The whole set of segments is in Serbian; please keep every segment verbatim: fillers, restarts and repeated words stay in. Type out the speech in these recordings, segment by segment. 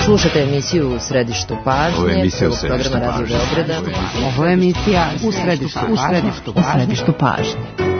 Slušate emisiju U središtu pažnje, prvog programa Radio Beograda. Ovo je emisija U središtu pažnje. U središtu pažnje.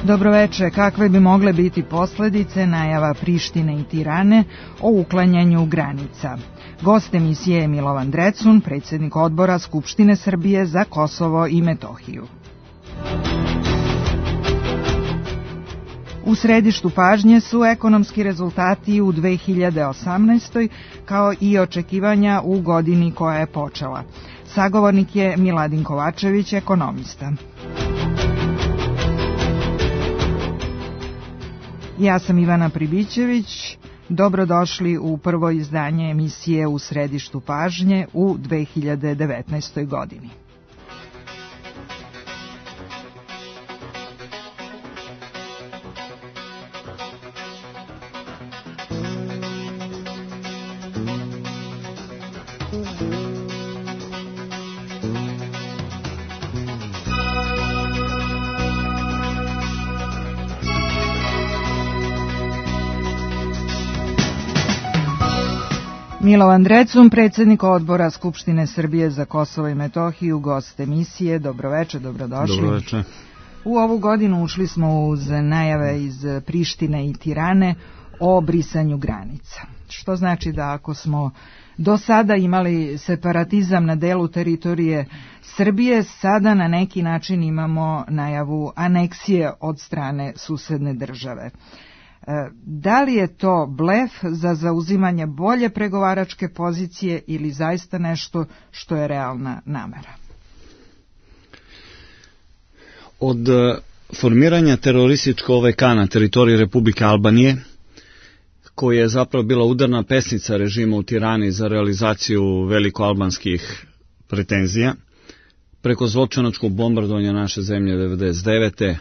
Dobroveče, kakve bi mogle biti posledice najava Prištine i Tirane o uklanjanju granica? Gost emisije je Milovan Drecun, predsjednik odbora Skupštine Srbije za Kosovo i Metohiju. U središtu pažnje su ekonomski rezultati u dve hiljade osamnaestoj kao i očekivanja u godini koja je počela. Sagovornik je Miladin Kovačević, ekonomista. Ja sam Ivana Pribićević, dobrodošli u prvo izdanje emisije U središtu pažnje u dve hiljade devetnaestoj godini. Milovan Drecun, predsjednik odbora Skupštine Srbije za Kosovo i Metohiju, gost emisije. Dobroveče, dobrodošli. Dobroveče. U ovu godinu ušli smo uz najave iz Prištine i Tirane o brisanju granica. Što znači da ako smo do sada imali separatizam na delu teritorije Srbije, sada na neki način imamo najavu aneksije od strane susedne države. Da li je to blef za zauzimanje bolje pregovaračke pozicije ili zaista nešto što je realna namera? Od formiranja terorističkog O V K na teritoriji Republike Albanije, koja je zapravo bila udarna pesnica režima u Tirani za realizaciju velikoalbanskih pretenzija, preko zločinačkog bombardovanja naše zemlje devedeset devete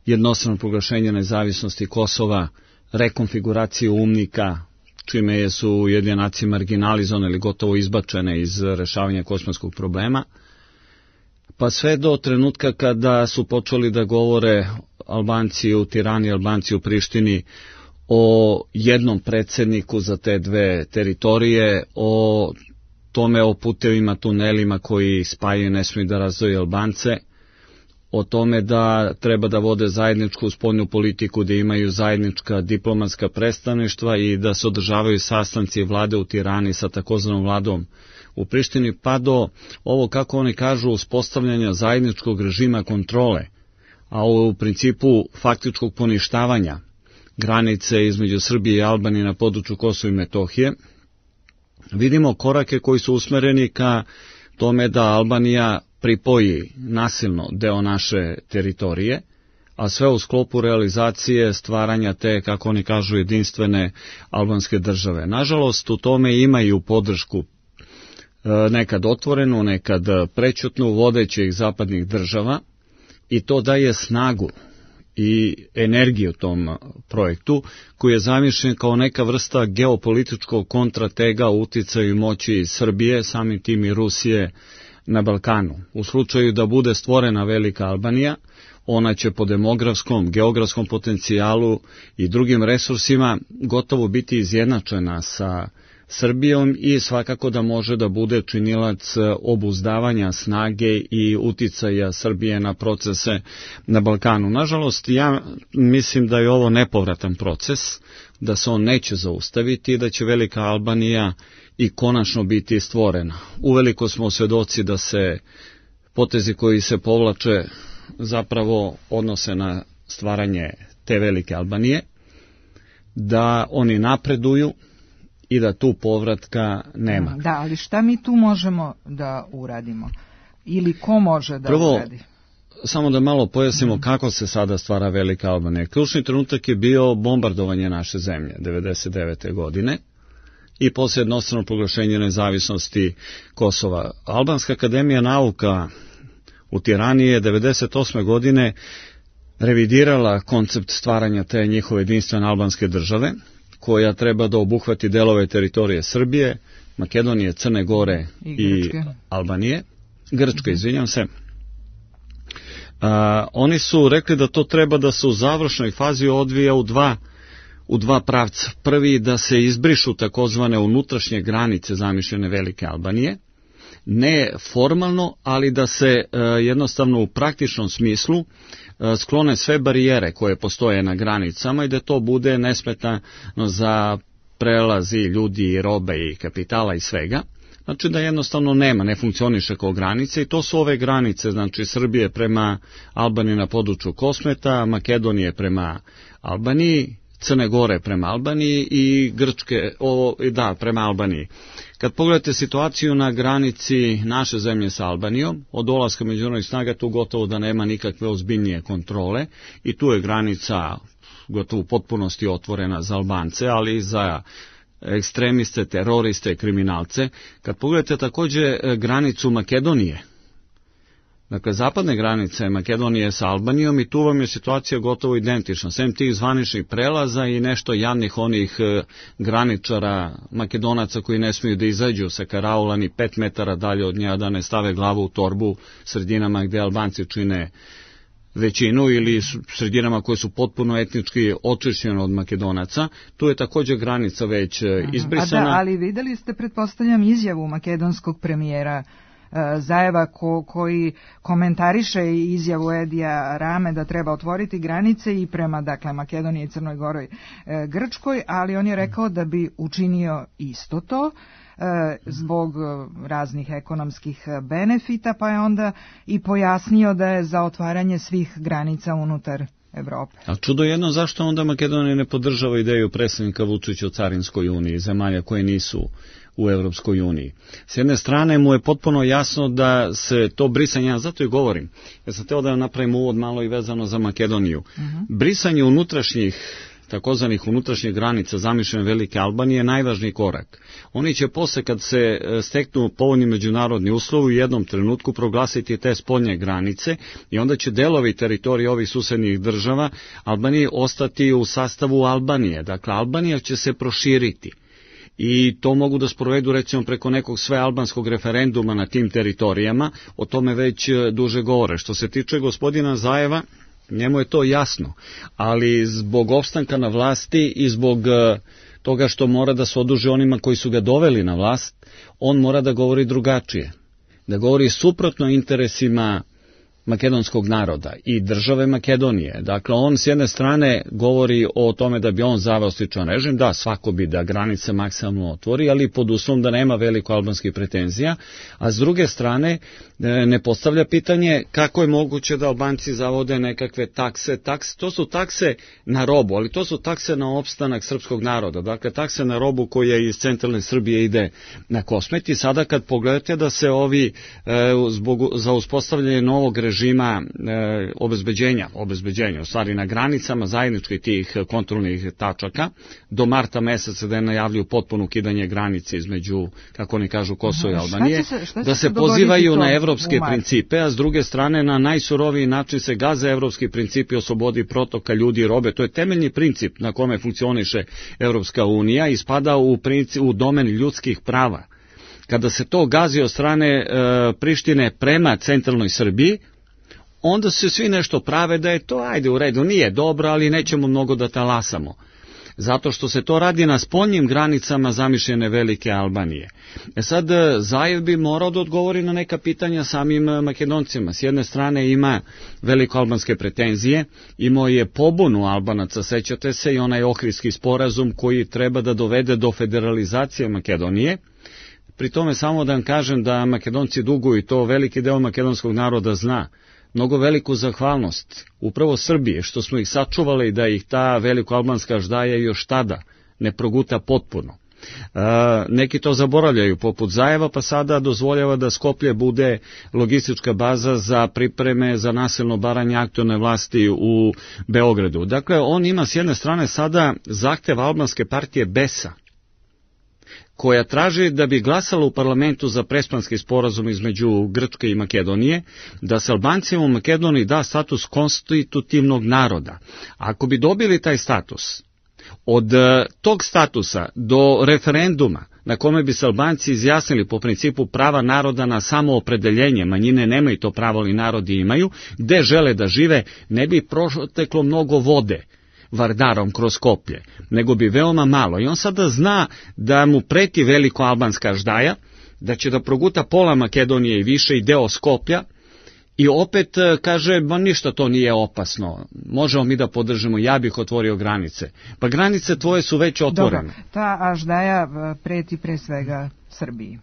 jednostrano proglašenje nezavisnosti Kosova, rekonfiguraciju UNMIK-a, čime su Ujedinjene nacije marginalizovane ili gotovo izbačene iz rešavanja kosovskog problema, pa sve do trenutka kada su počeli da govore Albanci u Tirani, Albanci u Prištini o jednom predsjedniku za te dve teritorije, o tome o putevima, tunelima koji spajaju, ne smiju da razdvoje Albance, o tome da treba da vode zajedničku spoljnu politiku, da imaju zajednička diplomatska predstavništva i da se održavaju sastanci vlade u Tirani sa takozvanom vladom u Prištini, pa do ovo, kako oni kažu, uspostavljanja zajedničkog režima kontrole, a u principu faktičkog poništavanja granice između Srbije i Albanije na području Kosova i Metohije. Vidimo korake koji su usmereni ka tome da Albanija pripoji nasilno deo naše teritorije, a sve u sklopu realizacije stvaranja te, kako oni kažu, jedinstvene albanske države. Nažalost, u tome imaju podršku nekad otvorenu, nekad prećutnu vodećih zapadnih država i to daje snagu i energiju tom projektu, koji je zamišljen kao neka vrsta geopolitičkog kontratega u uticaju i moći Srbije, samim tim i Rusije, na Balkanu. U slučaju da bude stvorena velika Albanija, ona će po demografskom, geografskom potencijalu i drugim resursima gotovo biti izjednačena sa Srbijom i svakako da može da bude činilac obuzdavanja snage i uticaja Srbije na procese na Balkanu. Nažalost, ja mislim da je ovo nepovratan proces, da se on neće zaustaviti i da će velika Albanija i konačno biti stvorena. Uveliko smo svedoci da se potezi koji se povlače zapravo odnose na stvaranje te velike Albanije, da oni napreduju i da tu povratka nema. Da, ali šta mi tu možemo da uradimo? Ili ko može da Prvo, uradi? Samo da malo pojasnimo kako se sada stvara Velika Albanija. Ključni trenutak je bio bombardovanje naše zemlje devedeset devete. godine i poslije jednostrano proglašenje nezavisnosti Kosova. Albanska akademija nauka u Tirani je devedeset osme. godine revidirala koncept stvaranja te njihove jedinstvene albanske države, koja treba da obuhvati delove teritorije Srbije, Makedonije, Crne Gore i, i Albanije. Grčke, izvinjam se. A, oni su rekli da to treba da se u završnoj fazi odvija u dva, u dva pravca. Prvi, da se izbrišu takozvane unutrašnje granice zamišljene Velike Albanije, ne formalno, ali da se a, jednostavno u praktičnom smislu a, sklone sve barijere koje postoje na granicama i da to bude nesmetano za prelazi ljudi, robe i kapitala i svega. Znači da jednostavno nema, ne funkcioniše kao granice i to su ove granice, znači Srbije prema Albaniji na području Kosmeta, Makedonije prema Albaniji, Crne Gore prema Albaniji i Grčke, o, da, prema Albaniji. Kad pogledate situaciju na granici naše zemlje sa Albanijom, od dolaska međunarodnih snaga tu gotovo da nema nikakve ozbiljnije kontrole i tu je granica gotovo u potpunosti otvorena za Albance, ali i za ekstremiste, teroriste, kriminalce. Kad pogledate također granicu Makedonije, dakle zapadne granice Makedonije sa Albanijom i tu vam je situacija gotovo identična. Sem tih zvaničnih prelaza i nešto jadnih onih graničara Makedonaca koji ne smiju da izađu sa karaula ni pet metara dalje od nje, da ne stave glavu u torbu sredinama gdje Albanci čine većinu ili sredinama koje su potpuno etnički očišćene od Makedonaca. Tu je također granica već izbrisana. A da, ali videli ste, pretpostavljam, izjavu makedonskog premijera Zajeva ko, koji komentariše izjavu Edija Rame da treba otvoriti granice i prema, dakle, Makedoniji, Crnoj Goroj, e, Grčkoj, ali on je rekao da bi učinio isto to e, zbog raznih ekonomskih benefita, pa je onda i pojasnio da je za otvaranje svih granica unutar Evrope. A čudo jedno, zašto onda Makedonija ne podržava ideju predsjednika Vučića o carinskoj uniji, zemalja koje nisu u Evropskoj uniji. S jedne strane mu je potpuno jasno da se to brisanje, ja zato i govorim, ja sam teo da napravim uvod malo i vezano za Makedoniju. Uh-huh. Brisanje unutrašnjih, takozvanih unutrašnjih granica zamišljene Velike Albanije je najvažniji korak. Oni će posle, kad se steknu povoljni međunarodni uslovi, u jednom trenutku proglasiti te spoljne granice i onda će delovi teritorije ovih susednih država Albanije ostati u sastavu Albanije. Dakle, Albanija će se proširiti. I to mogu da sprovedu recimo preko nekog svealbanskog referenduma na tim teritorijama, o tome već duže govore. Što se tiče gospodina Zajeva, njemu je to jasno, ali zbog opstanka na vlasti i zbog toga što mora da se oduži onima koji su ga doveli na vlast, on mora da govori drugačije, da govori suprotno interesima makedonskog naroda i države Makedonije. Dakle, on s jedne strane govori o tome da bi on zaveo sličan režim, da, svako bi da granice maksimalno otvori, ali pod uslovom da nema veliko albanskih pretenzija, a s druge strane ne postavlja pitanje kako je moguće da Albanci zavode nekakve takse. Takse, to su takse na robu, ali to su takse na opstanak srpskog naroda. Dakle, takse na robu koja iz centralne Srbije ide na Kosmet i sada kad pogledate da se ovi e, zbog, za uspostavljanje novog režima e, obezbeđenja, obezbeđenja, u stvari na granicama zajedničkih tih kontrolnih tačaka, do marta meseca da je najavljuju potpuno ukidanje granice između, kako oni kažu, Kosova i Albanije, se, da se pozivaju na evropske principe, a s druge strane na najsuroviji način se gaze evropski principi o slobodi protoka ljudi i robe. To je temeljni princip na kome funkcioniše Evropska unija i spada u, princip, u domen ljudskih prava. Kada se to gazi od strane e, Prištine prema centralnoj Srbiji, onda se svi nešto prave da je to, ajde u redu, nije dobro, ali nećemo mnogo da talasamo. Zato što se to radi na spoljnim granicama zamišljene Velike Albanije. E sad, Zajev bi morao da odgovori na neka pitanja samim Makedoncima. S jedne strane ima velikoalbanske pretenzije, imao je pobunu Albanaca, sećate se, i onaj Ohridski sporazum koji treba da dovede do federalizacije Makedonije. Pri tome samo da vam kažem da Makedonci duguju, i to veliki deo makedonskog naroda zna, mnogo veliku zahvalnost upravo Srbije, što smo ih sačuvali da ih ta velikoalbanska ždaja još tada ne proguta potpuno. Neki to zaboravljaju, poput Zajeva, pa sada dozvoljava da Skoplje bude logistička baza za pripreme za nasilno baranje aktuelne vlasti u Beogradu. Dakle, on ima s jedne strane sada zahtev albanske partije Besa, koja traži da bi glasala u parlamentu za Prespanski sporazum između Grčke i Makedonije, da se Albancima u Makedoniji da status konstitutivnog naroda. Ako bi dobili taj status, od tog statusa do referenduma na kome bi se Albanci izjasnili po principu prava naroda na samoopredeljenje, manjine nemaju to pravo, ali narodi imaju, gde žele da žive, ne bi proteklo mnogo vode Vardarom kroz Skoplje, nego bi veoma malo. I on sada zna da mu preti veliko albanska aždaja, da će da proguta pola Makedonije i više i deo Skoplja, i opet kaže, ba ništa to nije opasno, možemo mi da podržimo, ja bih otvorio granice. Pa granice tvoje su već otvorene. Dobro, ta aždaja preti pre svega Srbiji.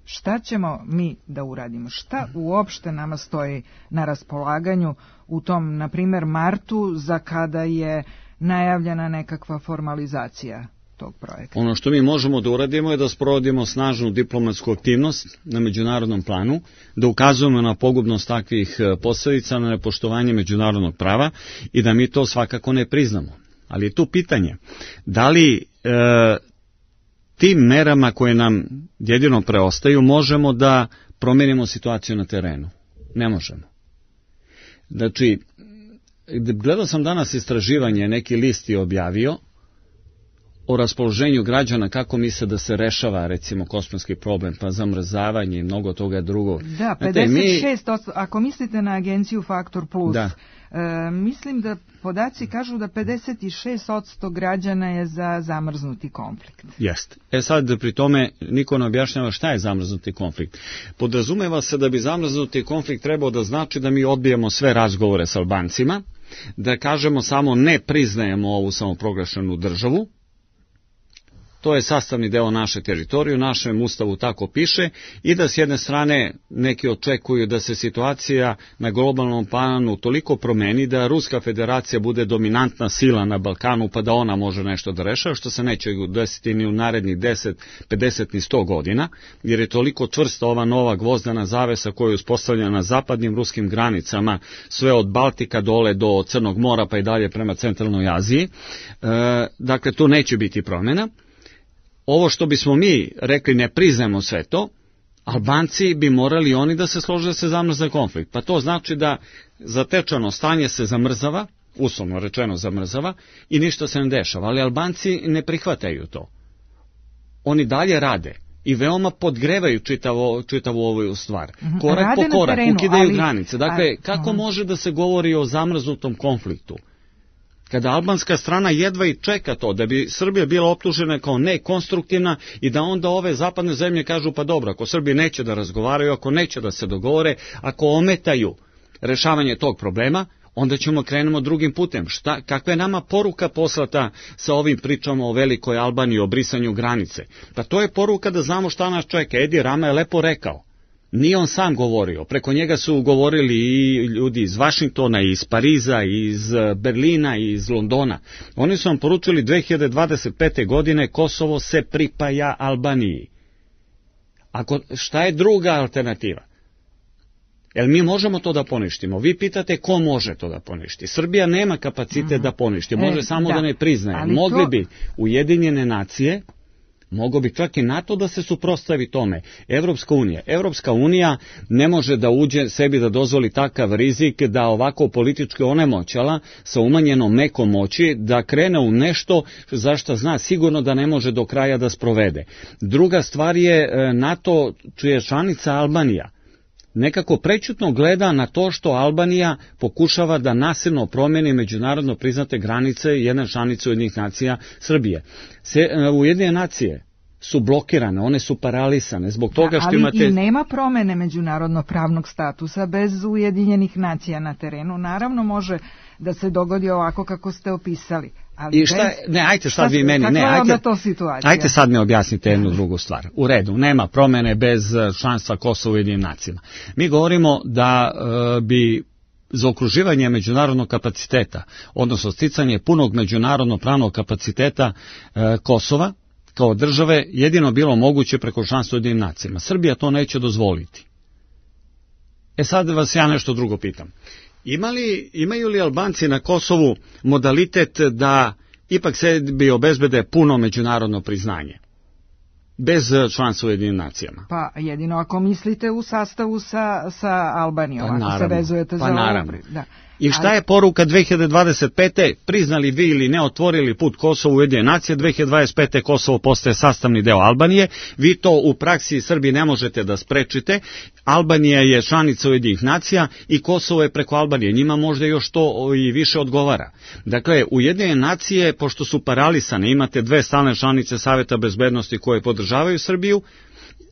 Šta ćemo mi da uradimo? Šta uopšte nama stoji na raspolaganju u tom, na primer, martu, za kada je najavljena nekakva formalizacija tog projekta? Ono što mi možemo da uradimo je da sprovodimo snažnu diplomatsku aktivnost na međunarodnom planu, da ukazujemo na pogubnost takvih posledica, na nepoštovanje međunarodnog prava i da mi to svakako ne priznamo. Ali je tu pitanje, da li e, tim merama koje nam jedino preostaju možemo da promenimo situaciju na terenu? Ne možemo. Znači, gledao sam danas istraživanje, neki list je objavio o raspoloženju građana, kako misle da se rešava, recimo, kosmetski problem, pa zamrzavanje i mnogo toga drugo. Da, pedeset šest posto, mi... ako mislite na agenciju Faktor Plus, da. E, mislim da podaci kažu da pedeset šest posto građana je za zamrznuti konflikt. Jeste. E sad, pri tome, niko ne objašnjava šta je zamrznuti konflikt. Podrazumeva se da bi zamrznuti konflikt trebao da znači da mi odbijemo sve razgovore s Albancima, da kažemo samo ne priznajemo ovu samoproglašenu državu. To je sastavni deo naše teritorije, u našem ustavu tako piše, i da s jedne strane neki očekuju da se situacija na globalnom planu toliko promeni da Ruska federacija bude dominantna sila na Balkanu, pa da ona može nešto da rešava, što se neće desiti ni u narednih deset, pedeset ni sto godina, jer je toliko čvrsta ova nova gvozdana zavesa koja je uspostavljena na zapadnim ruskim granicama, sve od Baltika dole do Crnog mora pa i dalje prema centralnoj Aziji. E, dakle, tu neće biti promjena. Ovo što bismo mi rekli ne priznajemo sve to, Albanci bi morali oni da se slože da se zamrzne konflikt. Pa to znači da zatečeno stanje se zamrzava, uslovno rečeno zamrzava, i ništa se ne dešava. Ali Albanci ne prihvataju to. Oni dalje rade i veoma podgrevaju čitavo, čitavu ovu stvar. Korak rade po korak, terenu, ukidaju ali... granice. Dakle, a, kako uh-huh. može da se govori o zamrznutom konfliktu? Kada albanska strana jedva i čeka to, da bi Srbija bila optužena kao nekonstruktivna i da onda ove zapadne zemlje kažu, pa dobro, ako Srbije neće da razgovaraju, ako neće da se dogovore, ako ometaju rešavanje tog problema, onda ćemo krenemo drugim putem. Šta, kakva je nama poruka poslata sa ovim pričama o Velikoj Albaniji, o brisanju granice? Pa to je poruka da znamo šta nas čeka. Edi Rama je lepo rekao. Nije on sam govorio, preko njega su govorili i ljudi iz Vašingtona, iz Pariza, iz Berlina, iz Londona. Oni su vam poručili dve hiljade dvadeset pete. godine Kosovo se pripaja Albaniji. Ako, šta je druga alternativa? Jel mi možemo to da poništimo? Vi pitate ko može to da poništi. Srbija nema kapacitet uh-huh. da poništi, može e, samo da, da ne priznaje. Ali Mogli to... bi Ujedinjene nacije, mogo bi čak i NATO da se suprotstavi tome. Evropska unija. Evropska unija ne može da uđe sebi da dozvoli takav rizik da ovako politički onemoćala sa umanjenom mekom moći da krene u nešto za što zna sigurno da ne može do kraja da sprovede. Druga stvar je NATO, čija je članica Albanija, nekako prećutno gleda na to što Albanija pokušava da nasilno promeni međunarodno priznate granice jedne članice Ujedinjenih nacija Srbije. Se, Ujedinjene nacije su blokirane, one su paralisane zbog toga što ali imate... Ali i nema promene međunarodno pravnog statusa bez Ujedinjenih nacija na terenu. Naravno može da se dogodi ovako kako ste opisali. Ali I šta, bez... ne, ajte sad vi meni, ne, ajte, ajte sad mi objasnite jednu drugu stvar. U redu, nema promene bez članstva Kosova u Ujedinjenim nacijama. Mi govorimo da e, bi zaokruživanje međunarodnog kapaciteta, odnosno sticanje punog međunarodno pravnog kapaciteta e, Kosova, kao države jedino bilo moguće preko članstva u Ujedinjenim nacijama. Srbija to neće dozvoliti. E sad vas ja nešto drugo pitam. Ima li, imaju li Albanci na Kosovu modalitet da ipak sebi obezbede puno međunarodno priznanje? Bez članstva u Ujedinjenim nacijama. Pa jedino ako mislite u sastavu sa, sa Albanijom, pa, ako naravno, se vezujete pa, za naravno. ovo. Da. I šta je poruka dve hiljade dvadeset pete. Priznali vi ili ne otvorili put Kosovu u Ujedinjene nacije, dve hiljade dvadeset pete. Kosovo postaje sastavni deo Albanije. Vi to u praksi Srbiji ne možete da sprečite. Albanija je članica Ujedinjenih nacija i Kosovo je preko Albanije. Njima možda još to i više odgovara. Dakle, Ujedinjene nacije, pošto su paralisane, imate dve stalne članice Saveta bezbednosti koje podržavaju Srbiju,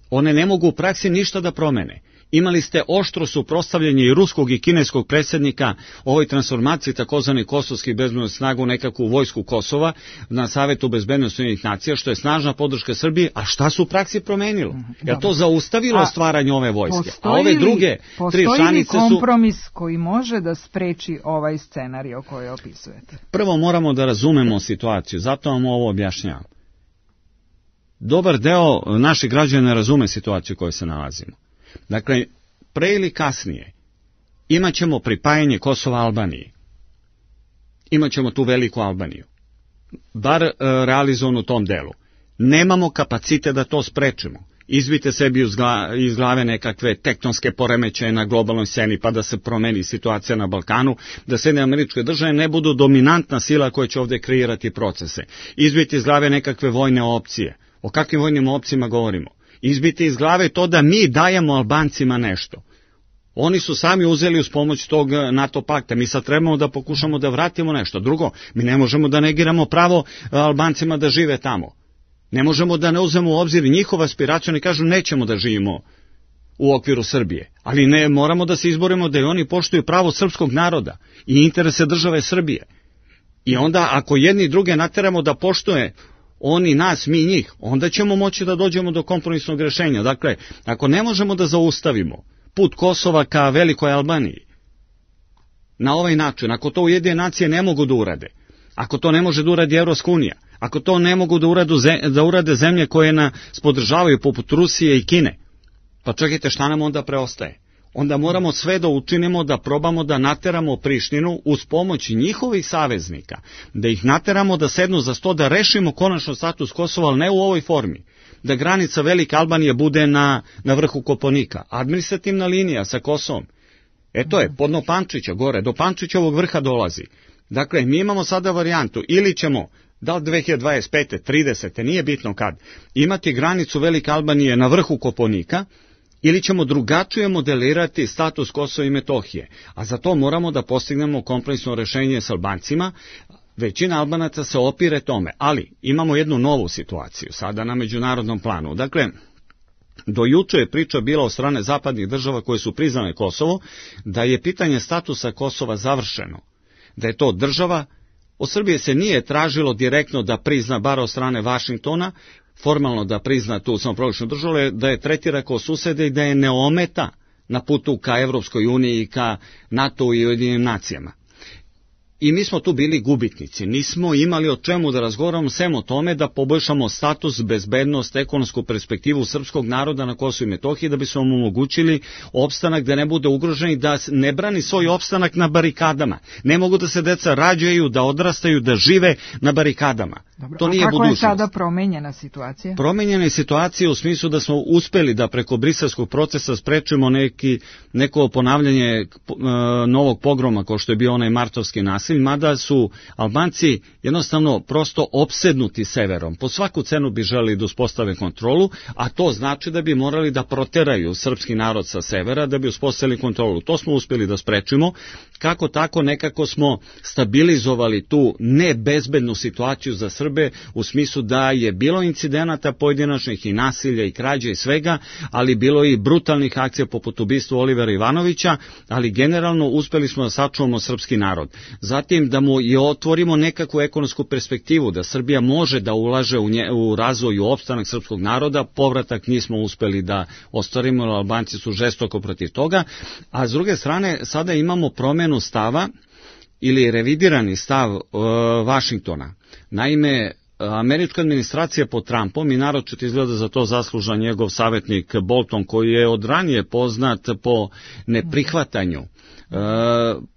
one ne mogu u praksi ništa da promene. Imali ste oštro suprotstavljanje i ruskog i kineskog predsjednika ovoj transformaciji takozvani kosovskih bezbednosnih snaga u nekakvu vojsku Kosova na Savetu bezbednosti Ujedinjenih nacija, što je snažna podrška Srbiji, a šta su u praksi promenilo? Je to zaustavilo a, stvaranje ove vojske? A ove druge tri članice su... Postoji li kompromis koji može da spreči ovaj scenarij koji opisujete? Prvo moramo da razumemo situaciju, zato vam ovo objašnjavam. Dobar deo naših građana ne razume situaciju u kojoj se nalazimo. Dakle, pre ili kasnije imat ćemo pripajanje Kosova Albaniji. Imat ćemo tu veliku Albaniju. Bar e, realizovano u tom delu. Nemamo kapacite da to sprečimo. Izbite sebi iz glave nekakve tektonske poremećaje na globalnoj sceni, pa da se promeni situacija na Balkanu, da Sjedinjene Američke Države ne budu dominantna sila koja će ovdje kreirati procese. Izbite iz glave nekakve vojne opcije. O kakvim vojnim opcijama govorimo? Izbiti iz glave to da mi dajemo Albancima nešto. Oni su sami uzeli uz pomoć tog NATO pakta. Mi sad trebamo da pokušamo da vratimo nešto. Drugo, mi ne možemo da negiramo pravo Albancima da žive tamo. Ne možemo da ne uzmemo u obzir njihova aspiracija, oni kažu nećemo da živimo u okviru Srbije. Ali ne, moramo da se izborimo da i oni poštuju pravo srpskog naroda i interese države Srbije. I onda ako jedni druge nateramo da poštuje oni nas, mi njih, onda ćemo moći da dođemo do kompromisnog rješenja. Dakle, ako ne možemo da zaustavimo put Kosova ka velikoj Albaniji, na ovaj način, ako to Ujedinjene nacije ne mogu da urade, ako to ne može da uradi Evropska unija, ako to ne mogu da, uradu, da urade zemlje koje nas podržavaju poput Rusije i Kine, pa čekajte, šta nam onda preostaje? Onda moramo sve da učinimo da probamo da nateramo Prištinu uz pomoć njihovih saveznika, da ih nateramo da sednu za sto, da rešimo konačno status Kosova, ali ne u ovoj formi. Da granica Velike Albanije bude na, na vrhu Kopaonika, administrativna linija sa Kosovom. E to je, podno Pančića, gore, do Pančićevog vrha dolazi. Dakle, mi imamo sada varijantu, ili ćemo, da li dve hiljade dvadeset pete, tridesete, nije bitno kad, imati granicu Velike Albanije na vrhu Kopaonika, ili ćemo drugačije modelirati status Kosova i Metohije, a za to moramo da postignemo kompromisno rešenje s Albancima. Većina Albanaca se opire tome, ali imamo jednu novu situaciju sada na međunarodnom planu. Dakle, do juče je priča bila od strane zapadnih država koje su priznale Kosovo, da je pitanje statusa Kosova završeno, da je to država. Od Srbije se nije tražilo direktno da prizna, bar od strane Vašingtona, formalno da prizna tu samoproglašenu državu, da je tretira kao susede i da je ne ometa na putu ka Evropskoj uniji i ka NATO i Ujedinjenim nacijama. I mi smo tu bili gubitnici, nismo imali o čemu da razgovaramo, sem o tome da poboljšamo status, bezbednost, ekonomsku perspektivu srpskog naroda na Kosovu i Metohiji, da bi smo mu omogućili opstanak, da ne bude ugrožen i da ne brani svoj opstanak na barikadama. Ne mogu da se deca rađaju, da odrastaju, da žive na barikadama. Dobro, to nije a kako budućnost. je sada promenjena situacija? Promenjena je situacija u smislu da smo uspeli da preko briselskog procesa sprečimo neki, neko ponavljanje uh, novog pogroma, kao što je bio onaj martovski nasilj, mada su Albanci jednostavno prosto opsednuti severom. Po svaku cenu bi želeli da uspostave kontrolu, a to znači da bi morali da proteraju srpski narod sa severa da bi uspostavili kontrolu. To smo uspeli da sprečimo. Kako tako nekako smo stabilizovali tu nebezbednu situaciju za Srbe, u smislu da je bilo incidenata pojedinačnih i nasilja i krađe i svega, ali bilo i brutalnih akcija poput ubistva Olivera Ivanovića, ali generalno uspeli smo da sačuvamo srpski narod. Zatim da mu i otvorimo nekakvu ekonomsku perspektivu, da Srbija može da ulaže u, nje, u razvoj i opstanak srpskog naroda, povratak nismo uspeli da ostvarimo, Albanci su žestoko protiv toga, a s druge strane sada imamo promenu stava ili revidirani stav e, Vašingtona. Naime, američka administracija pod Trumpom, i naročito izgleda za to zaslužan njegov savjetnik Bolton, koji je od ranije poznat po neprihvatanju e,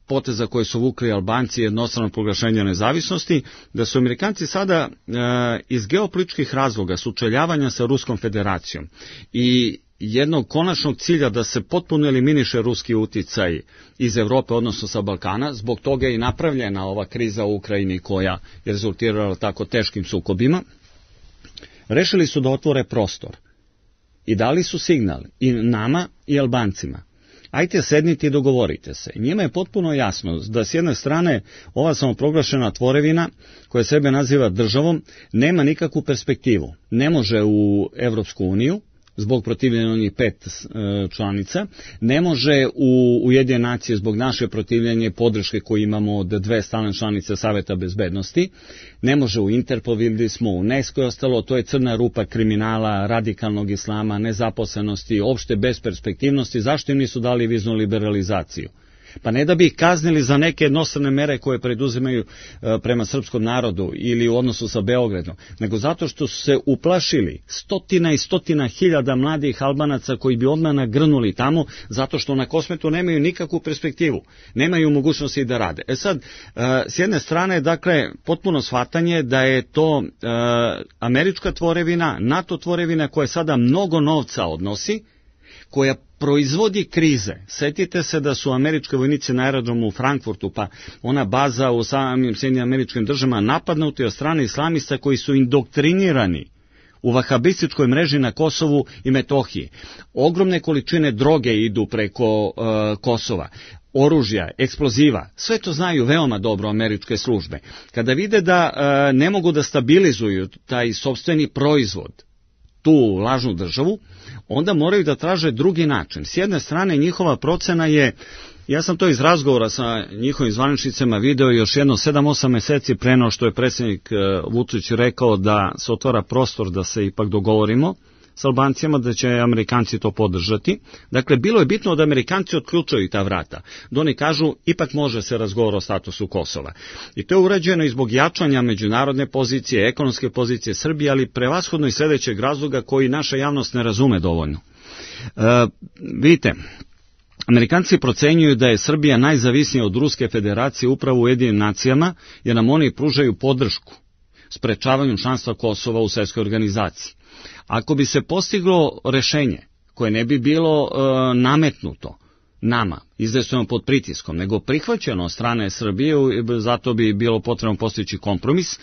poteza koje su vukli Albanci jednostrano proglašenja nezavisnosti, da su Amerikanci sada e, iz geopolitičkih razloga sučeljavanja sa Ruskom federacijom i jednog konačnog cilja da se potpuno eliminiše ruski uticaj iz Evrope, odnosno sa Balkana, zbog toga je i napravljena ova kriza u Ukrajini koja je rezultirala tako teškim sukobima, rešili su da otvore prostor i dali su signal i nama i Albancima. Ajte sednite i dogovorite se. Njima je potpuno jasno da s jedne strane ova samoproglašena tvorevina koja sebe naziva državom nema nikakvu perspektivu. Ne može u Evropsku uniju, zbog protivljenja onih pet e, članica, ne može u Ujedinjene nacije zbog naše protivljenje podrške koju imamo od dve stalne članice Saveta bezbednosti, ne može u Interpol, vidjeli smo u UNESCO i ostalo, to je crna rupa kriminala, radikalnog islama, nezaposlenosti, opšte besperspektivnosti. Zašto im nisu dali viznu liberalizaciju? Pa ne da bi ih kaznili za neke jednostrane mere koje preduzimaju e, prema srpskom narodu ili u odnosu sa Beogradom, nego zato što su se uplašili stotina i stotina hiljada mladih Albanaca koji bi odmah nagrnuli tamo, zato što na Kosmetu nemaju nikakvu perspektivu, nemaju mogućnosti da rade. E sad, e, s jedne strane, dakle, potpuno shvatanje da je to e, američka tvorevina, NATO tvorevina koja sada mnogo novca odnosi, koja proizvodi krize. Setite se da su američki vojnici na aerodromu u Frankfurtu, pa ona baza u samim Sjedinjenim Američkim Državama napadnuti od strane islamista koji su indoktrinirani u vahabističkoj mreži na Kosovu i Metohiji. Ogromne količine droge idu preko uh, Kosova, oružja, eksploziva, sve to znaju veoma dobro američke službe. Kada vide da uh, ne mogu da stabilizuju taj sopstveni proizvod, tu lažnu državu, onda moraju da traže drugi način. S jedne strane, njihova procena je, ja sam to iz razgovora sa njihovim zvaničnicama video još jedno sedam osam meseci pre no što je predsjednik Vučić rekao da se otvara prostor da se ipak dogovorimo s Albancima, da će Amerikanci to podržati. Dakle, bilo je bitno da Amerikanci otključaju ta vrata. Da oni kažu, ipak može se razgovor o statusu Kosova. I to je urađeno i zbog jačanja međunarodne pozicije, ekonomske pozicije Srbije, ali prevashodno i sljedećeg razloga koji naša javnost ne razume dovoljno. E, vidite, Amerikanci procenjuju da je Srbija najzavisnija od Ruske federacije upravo u Ujedinjenim nacijama, jer nam oni pružaju podršku sprečavanju članstva Kosova u svjetskoj organizaciji. Ako bi se postiglo rešenje koje ne bi bilo e, nametnuto nama, izvestveno pod pritiskom, nego prihvaćeno od strane Srbije, zato bi bilo potrebno postići kompromis,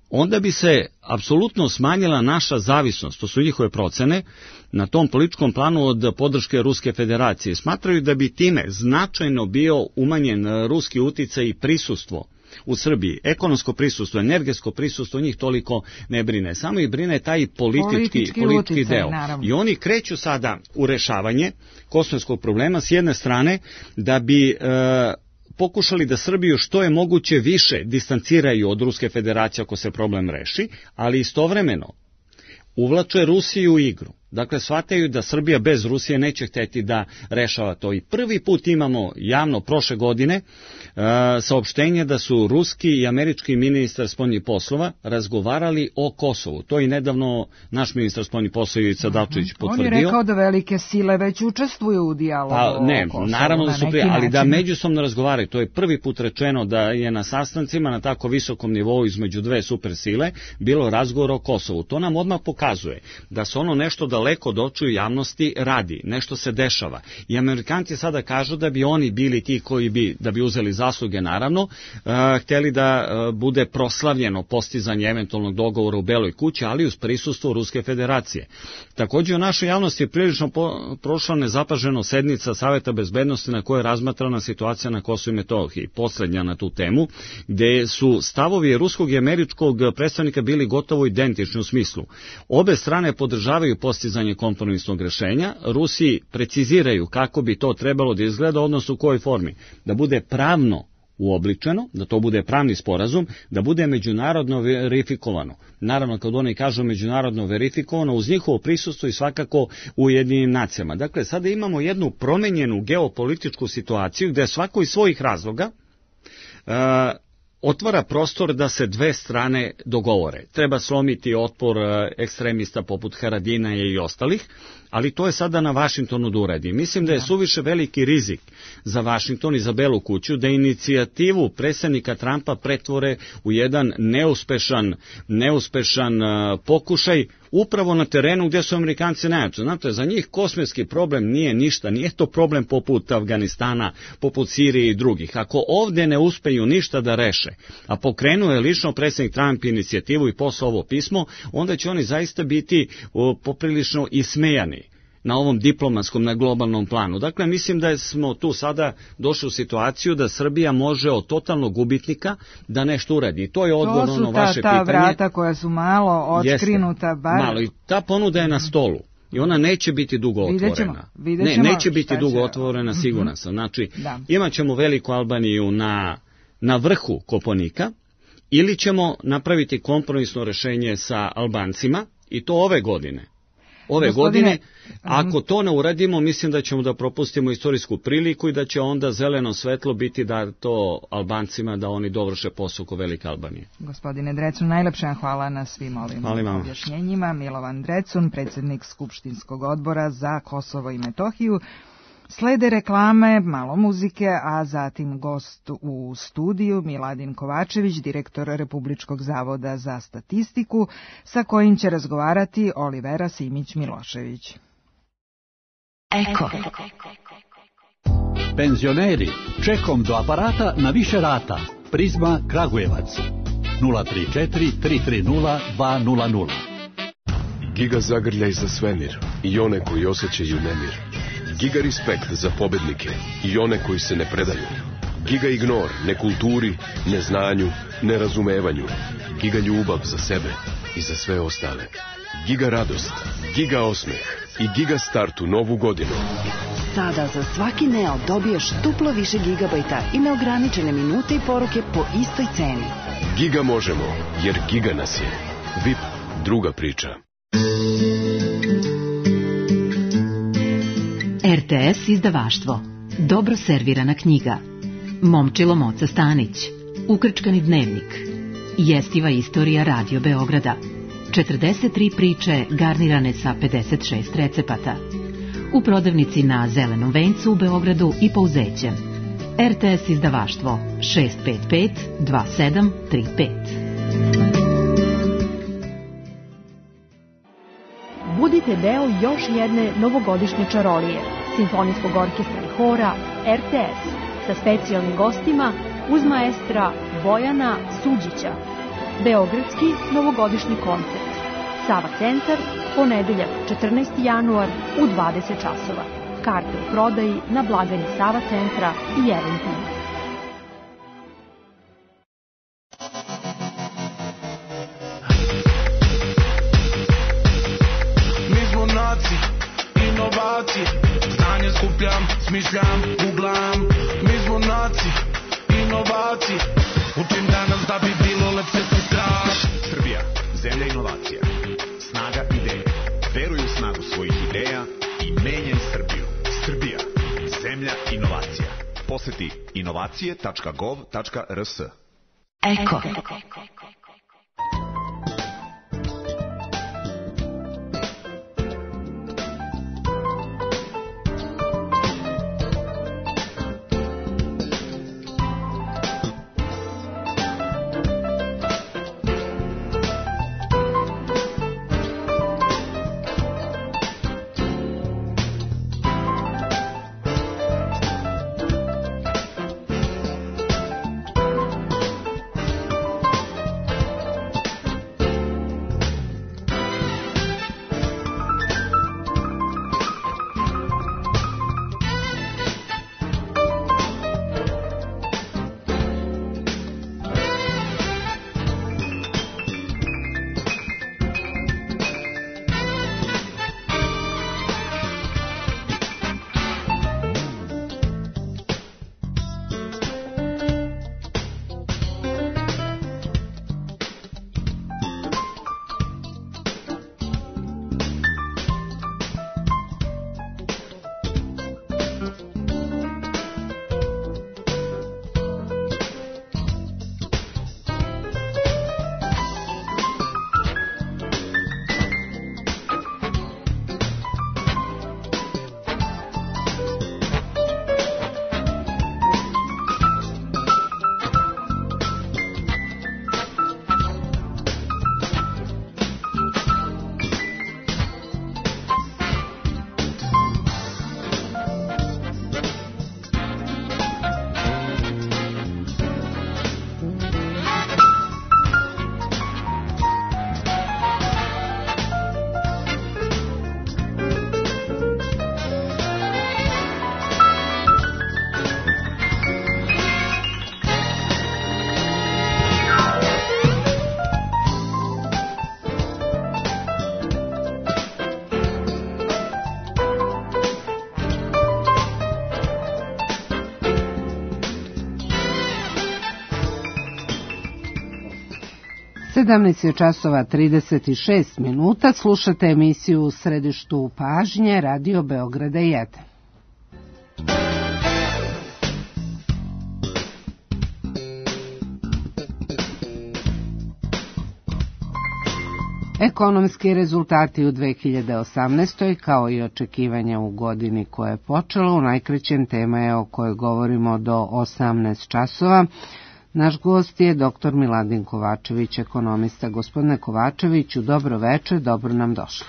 onda bi se apsolutno smanjila naša zavisnost, to su njihove procene, na tom političkom planu od podrške Ruske federacije. Smatraju da bi time značajno bio umanjen ruski uticaj i prisustvo u Srbiji. Ekonomsko prisustvo, energetsko prisustvo njih toliko ne brine. Samo ih brine taj politički, politički, politički uticaj, deo. Naravno. I oni kreću sada u rešavanje kosovskog problema s jedne strane da bi e, pokušali da Srbiju što je moguće više distanciraju od Ruske federacije ako se problem reši, ali istovremeno uvlače Rusiju u igru. Dakle, shvataju da Srbija bez Rusije neće hteti da rešava to. I prvi put imamo javno prošle godine uh, saopštenje da su ruski i američki ministar spoljnih poslova razgovarali o Kosovu. To je nedavno naš ministar spoljnih poslova Ivica Dačić potvrdio. On je rekao da velike sile već učestvuju u dijalogu pa, ne, o Kosovu. Naravno da su prije, ali da međusobno razgovaraju. To je prvi put rečeno da je na sastancima na tako visokom nivou između dve supersile bilo razgovor o Kosovu. To nam odmah pokazuje da se ono nešto da daleko od očiju javnosti radi, nešto se dešava. I Amerikanci sada kažu da bi oni bili ti koji bi, da bi uzeli zasluge naravno, uh, htjeli da uh, bude proslavljeno postizanje eventualnog dogovora u Beloj kući, ali uz prisustvo Ruske federacije. Također u našoj javnosti je prilično po, prošla nezapaženo sednica Saveta bezbednosti na kojoj je razmatrana situacija na Kosovu i Metohiji, poslednja na tu temu, gde su stavovi ruskog i američkog predstavnika bili gotovo identični u smislu. Obe strane podržavaju postizanje kompromisnog rešenja, Rusi preciziraju kako bi to trebalo da izgleda, odnosno u kojoj formi, da bude pravno uobličeno, da to bude pravni sporazum, da bude međunarodno verifikovano. Naravno, kad oni kažu međunarodno verifikovano, uz njihovo prisustvo i svakako u Ujedinjenim nacijama. Dakle, sada imamo jednu promenjenu geopolitičku situaciju gde svako iz svojih razloga uh, otvara prostor da se dve strane dogovore. Treba slomiti otpor ekstremista poput Haradinaja i ostalih, ali to je sada na Vašingtonu da uradi. Mislim da je suviše veliki rizik za Vašington i za Belu kuću da inicijativu predsjednika Trumpa pretvore u jedan neuspešan, neuspešan pokušaj upravo na terenu gdje su Amerikanci najjači. Znate, za njih kosmetski problem nije ništa, nije to problem poput Afganistana, poput Sirije i drugih. Ako ovdje ne uspeju ništa da reše, a pokrenuo je lično predsjednik Trump inicijativu i poslao ovo pismo, onda će oni zaista biti o, poprilično ismejani na ovom diplomatskom, na globalnom planu. Dakle, mislim da smo tu sada došli u situaciju da Srbija može od totalnog gubitnika da nešto uradi. I to je odgovor na ono ta, vaše ta pitanje. To su ta vrata koja su malo otkrinuta. Jeste, bar... malo. I ta ponuda je na stolu. I ona neće biti dugo otvorena. Vidjet ćemo, vidjet ne, ćemo neće biti dugo će... otvorena, siguran sam. Znači, da. imat ćemo Veliku Albaniju na, na vrhu Kopaonika, ili ćemo napraviti kompromisno rešenje sa Albancima, i to ove godine. Ove Gospodine, godine, ako to ne uradimo, mislim da ćemo da propustimo istorijsku priliku i da će onda zeleno svetlo biti da to Albancima, da oni dovrše posao oko Velike Albanije. Gospodine Drecun, najlepša hvala na svim ovim objašnjenjima. Milovan Drecun, predsjednik Skupštinskog odbora za Kosovo i Metohiju. Slede reklame, malo muzike, a zatim gost u studiju Miladin Kovačević, direktor Republičkog zavoda za statistiku, sa kojim će razgovarati Olivera Simić-Milošević. Eko. Penzioneri, čekom do aparata na više rata. Prizma Kragujevac. nula tri četiri tri tri nula dva nula nula. Giga zagrljaj za svemir i one koji osjećaju nemir. Giga respekt za pobednike i one koji se ne predaju. Giga ignor nekulturi, neznanju, nerazumevanju. Giga ljubav za sebe i za sve ostale. Giga radost, giga osmeh i giga start u novu godinu. Sada za svaki Neo dobiješ duplo više gigabajta i neograničene minute i poruke po istoj ceni. Giga možemo, jer giga nas je. V I P, druga priča. R T S izdavaštvo. Dobro servirana knjiga. Momčilo Moca Stanić. Ukrčkani dnevnik. Jestiva istorija Radio Beograda. četrdeset tri priče garnirane sa pedeset šest recepata. U prodavnici na Zelenom vencu u Beogradu i Pouzećem. R T S izdavaštvo šest pet pet dva sedam tri pet. Budite deo još jedne novogodišnje čarolije, simfonijskog orkestra i hora R T S sa specijalnim gostima uz maestra Bojana Suđića. Beogradski novogodišnji koncert. Sava centar, ponedeljak četrnaesti januar u dvadeset časova. Karte u prodaji na blagajni Sava centra i Eventim. Inovacije, znanje skupljam, smišljam, googlam. Mi smo naci, inovacije. Učim danas da bi bilo lepše sutra. Srbija, zemlja inovacija. Snaga ideje. Veruj u snagu svojih ideja i menjaj Srbiju. Srbija, zemlja inovacija. Poseti inovacije tačka gov tačka r s. Eko. sedamnaest je časova trideset šest minuta, slušate emisiju U središtu pažnje, Radio Beograda jedan. Ekonomski rezultati u dve hiljade osamnaestoj kao i očekivanja u godini koja je počela, u najkraćem tema je o kojoj govorimo do osamnaest časova. Naš gost je doktor Miladin Kovačević, ekonomista. Gospodine Kovačeviću, dobro večer, dobro nam došli.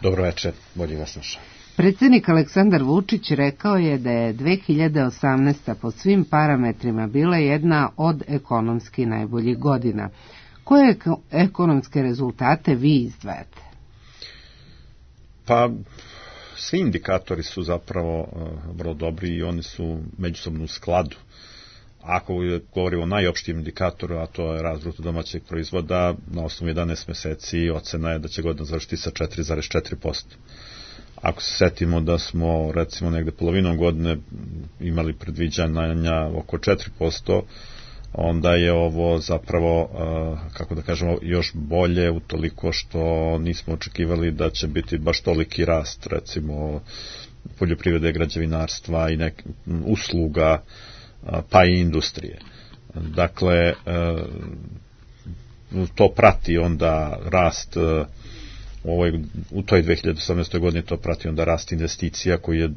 Dobro večer, bolje vas slušam. Predsjednik Aleksandar Vučić rekao je da je dve hiljade osamnaesta po svim parametrima bila jedna od ekonomski najboljih godina. Koje ekonomske rezultate vi izdvajate? Pa, svi indikatori su zapravo uh, vrlo dobri i oni su međusobno u skladu. Ako govorimo o najopštijem indikatoru, a to je rast bruto domaćeg proizvoda, na osnovu jedanaest meseci ocena je da će godina završiti sa četiri zarez četiri posto. Ako se setimo da smo recimo negde polovinom godine imali predviđanja oko četiri posto, onda je ovo zapravo, kako da kažemo, još bolje utoliko što nismo očekivali da će biti baš toliki rast, recimo poljoprivrede, građevinarstva i nek, usluga, pa i industrije. Dakle, to prati onda rast u, ovoj, u toj dve hiljade osamnaestoj godini, to prati onda rast investicija koji je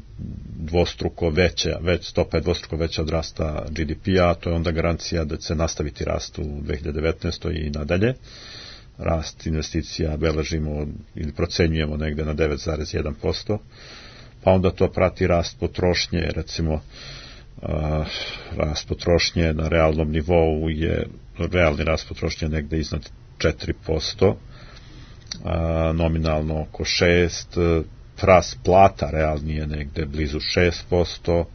dvostruko veća, već stopa je dvostruko veća od rasta G D P-a, to je onda garancija da će nastaviti rast u dve hiljade devetnaestoj i nadalje. Rast investicija beležimo ili procenjujemo negde na devet zarez jedan posto, pa onda to prati rast potrošnje, recimo Uh, rast potrošnje na realnom nivou je, realni rast potrošnje negde iznad četiri posto, uh, nominalno oko šest posto, rast plata realni je negde blizu šest posto,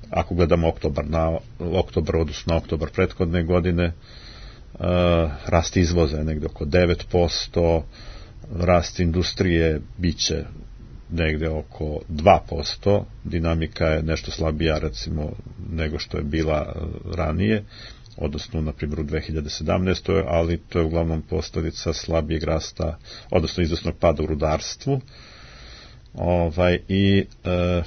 ako gledamo oktobar na oktobar odnosno na oktobar prethodne godine, uh, rast izvoza je negde oko devet posto, rast industrije biće negde oko dva posto, dinamika je nešto slabija recimo nego što je bila ranije, odnosno na primjer u dve hiljade sedamnaestoj, ali to je uglavnom posljedica slabijeg rasta, odnosno izvesnog pada u rudarstvu, ovaj, i e,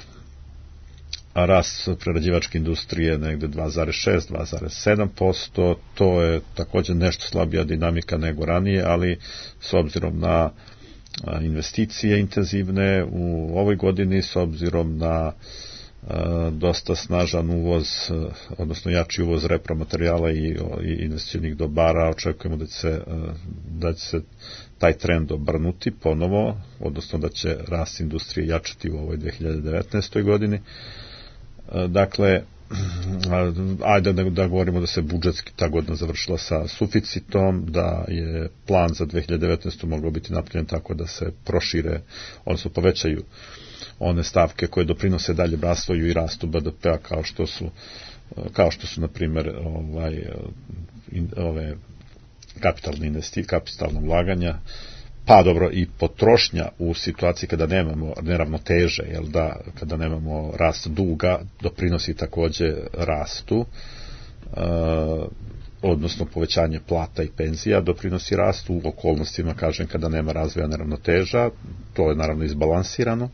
a rast prerađivačke industrije negde dva zarez šest do dva zarez sedam posto, to je također nešto slabija dinamika nego ranije, ali s obzirom na investicije intenzivne u ovoj godini, s obzirom na a, dosta snažan uvoz, odnosno jači uvoz repromaterijala i, i investicionih dobara, očekujemo da će, se, da će se taj trend obrnuti ponovo, odnosno da će rast industrije jačati u ovoj dve hiljade devetnaestoj godini. A, dakle, ajde da, da govorimo da se budžetski ta godina završila sa suficitom, da je plan za dve hiljade devetnaestu mogao biti napravljen tako da se prošire, odnosno povećaju one stavke koje doprinose dalje razvoju i rastu B D P-a, kao što su kao što su na primjer ovaj, in, ove kapitalne investicije, kapitalna ulaganja, pa dobro i potrošnja u situaciji kada nemamo neravnoteže, jel da, kada nemamo rast duga, doprinosi također rastu, e, odnosno povećanje plata i penzija doprinosi rastu u okolnostima, kažem, kada nema razvoja neravnoteža, to je naravno izbalansirano.